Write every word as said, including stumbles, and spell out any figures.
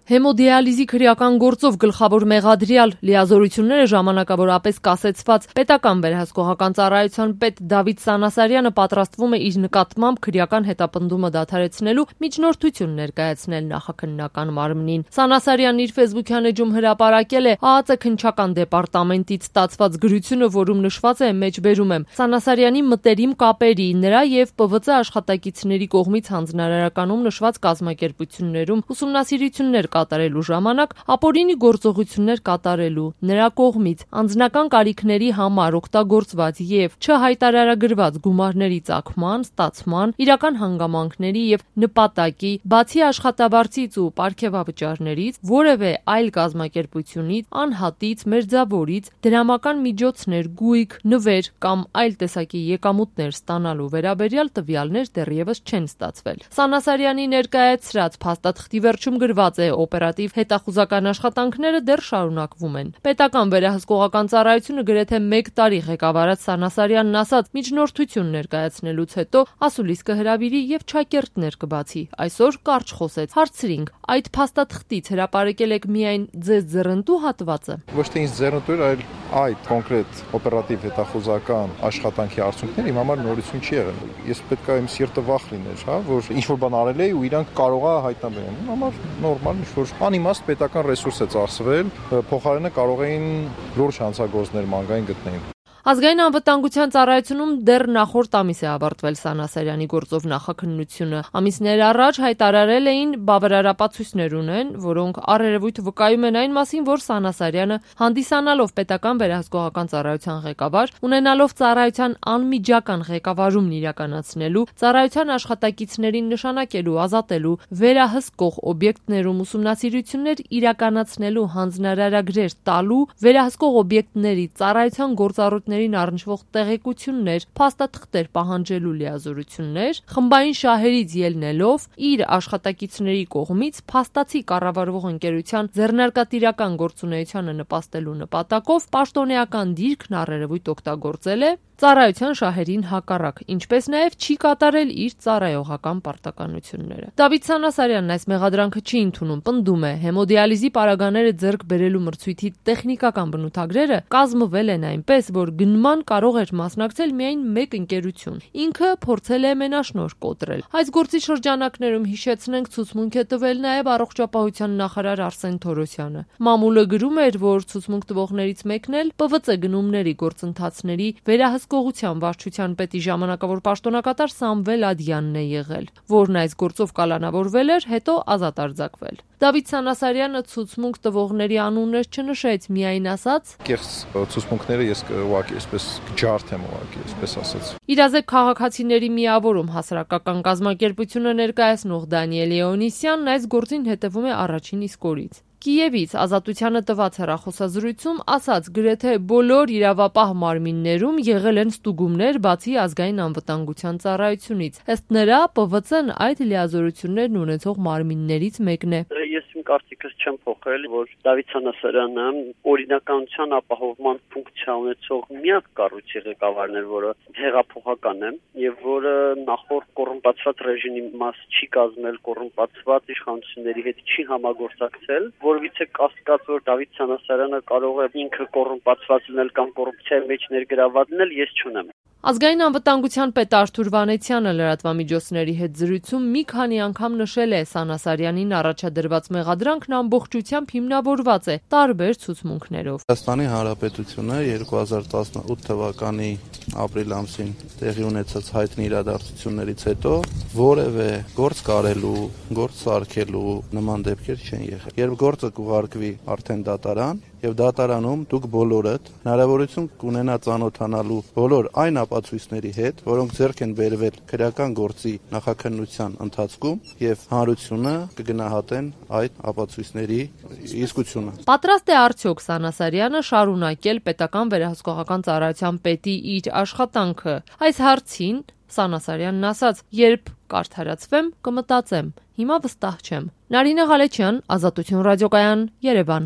Հեմոդիալիզի քրեական գործով գլխավոր մեղադրյալ, լիազորությունները ժամանակավորապես կասեցված պետական վերահսկողական ծառայության պետ Դավիթ Սանասարյանը պատրաստվում է իր նկատմամբ քրեական հետապնդումը դադարեցնելու միջնորդություն ներկայացնել նախաքննական մարմնին։ Սանասարյանն իր ֆեյսբուքյան էջում հրապարակել է ԱԱԾ քննչական դեպարտամենտից ստացված գրությունը, որում նշված է մեջբերում եմ Սանասարյանի մտերիմ կապերի, նրա եւ Պ V C աշխատակիցների կողմից հանձնարարականում նշված կազմակերպություններում ուսումնասիրություններ կատարելու ժամանակ ապօրինի գործողություններ կատարելու, նրա կողմից անձնական կարիքների համար օգտագործված եւ չհայտարարագրված գումարների ծագման, ստացման, իրական հանգամանքների եւ նպատակի, բացի աշխատավարձից ու պարգևավճարներից, որևէ այլ կազմակերպությունից, անհատից, մերձավորից դրամական միջոցներ, գույք, նվեր կամ այլ տեսակի եկամուտներ ստանալու վերաբերյալ տվյալներ դեռևս չեն ստացվել։ Սանասարյանի ներկայացրած փաստաթղթի վերջում գրված է օպերատիվ հետախուզական աշխատանքները դեռ շարունակվում են։ Պետական վերահսկողական ծառայությունը գրեթե մեկ տարի ղեկավարած Սանասարյանն ասաց միջնորդություն ներկայացնելուց հետո ասուլիս կհրավիրի եւ չակերտներ կբացի։ Այսօր կարճ խոսեց։ Հարցրինք, այդ փաստաթղթից հրապարակել եք միայն ձեզ ձեռնտու հատվածը։ Ոչ թե ինձ ձեռնտու էր, այլ այդ կոնկրետ օպերատիվ հետախուզական աշխատանքի արդյունքները իմ համար նորություն չի եղել։ Ես պետք է իմ սիրտը վախ լիներ, հա, որ ինչ որ բան արել էի ու իրանք կարող է հայտնաբերեն։ Իմ համար նորմալ ինչ որ անիմաստ պետական ռեսուրս է ծախսվել, փոխարենը կարող էին լուրջ հանցագործներ մանգային գտնել։ Ազգային անվտանգության ծառայությունում դեռ նախորդ ամիս է ավարտվել Սանասարյանի գործով նախաքննությունը։ Ամիսներ առաջ հայտարարել էին բավարարապացույցներ ունեն, որոնք առերևույթ վկայում են այն մասին, որ Սանասարյանը հանդիսանալով պետական վերահսկողական ծառայության ղեկավար, ունենալով ծառայության անմիջական ղեկավարումն իրականացնելու, ծառայության աշխատակիցներին նշանակելու, ազատելու, վերահսկող օբյեկտներում ուսումնասիրություններ իրականացնելու հանձնարարագրեր տալու, վերահսկող օբյեկտների ծառայության գործառույթ առնչվող տեղեկություններ, փաստաթղթեր պահանջելու լիազորություններ, խմբային շահերից ելնելով իր աշխատակիցների կողմից փաստացի կառավարվող ընկերության ձեռնարկատիրական գործունեությանը նպաստելու նպատակով պաշտոնեական դիրքն առերևույթ օգտագործել է ծառայության շահերին հակառակ, ինչպես նաև չի կատարել իր ծառայողական պարտականությունները։ Դավիթ Սանասարյանն այս մեղադրանքը չի ընդունում, պնդում է, հեմոդիալիզի պարագաները ձեռք բերելու մրցույթի տեխնիկական բնութագրերը կազմվել են այնպես, որ գնման կարող էր մասնակցել միայն մեկ ընկերություն։ Ինքը փորձել է մենաշնորհ կոտրել։ Այս գործի շրջանակներում հիշեցնենք ցուցմունք է տվել նաև առողջապահության նախարար Արսեն Թորոսյանը։ Մամուլը գրում էր, որ ցուցմունք տվողներից մեկն էլ Պ V C գնումների գործընթացների վերահսկողության վարչության պետի ժամանակավոր պաշտոնակատար Սամվել Ադյանն է եղել, որն այս գործով կալանավորվել էր, հետո ազատ արձակվել։ Դավիթ Սանասարյանը ցուցմունք տվողների անուններ չնշեց, միայն ասաց. Կեղծ ցուցմունքները ես ուղղակի այսպես ջարդ եմ ուղղակի, այսպես ասած։ Իրազեկ քաղաքացիների միավորում հասարակական կազմակերպությունը ներկայացնող Դանիել Էոնիսյանն այս գործին հետևում է առաջին իսկ օրից։ Կիևից Ազատությանը տված հեռախոսազրույցում ասաց, գրեթե բոլոր իրավապահ մարմիններում եղել են ստուգումներ, բացի ազգային անվտանգության ծառայությունից։ Ըստ նրա, Պ V C-ն այդ լիազորություններն ունեցող մարմիններից մեկն է։ Ես իմ կարծիքս չեմ փոխել, որ Դավիթ Սանասարյանը օրինականության ապահովման ֆունկցիա ունեցող միակ կառույցի ղեկավարն էր, որը հեղափոխական է եւ որը նախորդ կոռումպացված ռեժիմի մաս չի կազմել, կոռումպացված իշխանությունների հետ չի համագործակցել, որովից է կասկած, որ Դավիթ Սանասարյանը կարող է ինքը կոռումպացված լինել կամ կոռուպցիայի մեջ ներգրաված լինել, ես չունեմ։ Ազգային անվտանգության պետ Արթուր Վանեցյանը լրատվամիջոցների հետ զրույցում մի քանի անգամ նշել է Սանասարյանին առաջադրված մեղադրանքն ամբողջությամբ հիմնավորված է տարբեր ցուցմունքներով։ Հայաստանի Հանրապետությունը երկու հազար տասնութ թվականի ապրիլ ամսին տեղի ունեցած հայտնի իրադարձություններից հետո որևէ գործ կարելու, գործ սարքելու նման դեպքեր չեն եղել։ Երբ գործը կուղարկվի արդեն դատարան, եւ դատարանում դուք բոլորդ հնարավորություն կունենա ծանոթանալու բոլոր այն ապացույցների հետ, որոնք ձեռք են բերվել քրեական գործի նախաքննության ընթացքում եւ հանրությունը կգնահատեն այդ ապացույցների իսկությունը։ Պատրաստ է արդյոք Սանասարյանը շարունակել պետական վերահսկողական ծառայության պետի իր աշխատանքը։ Այս հարցին Սանասարյանն ասաց. «Երբ կարդարացվեմ, կմտածեմ, հիմա վստահ չեմ»։ Նարինե Ղալեչյան, Ազատություն ռադիոկայան, Երևան։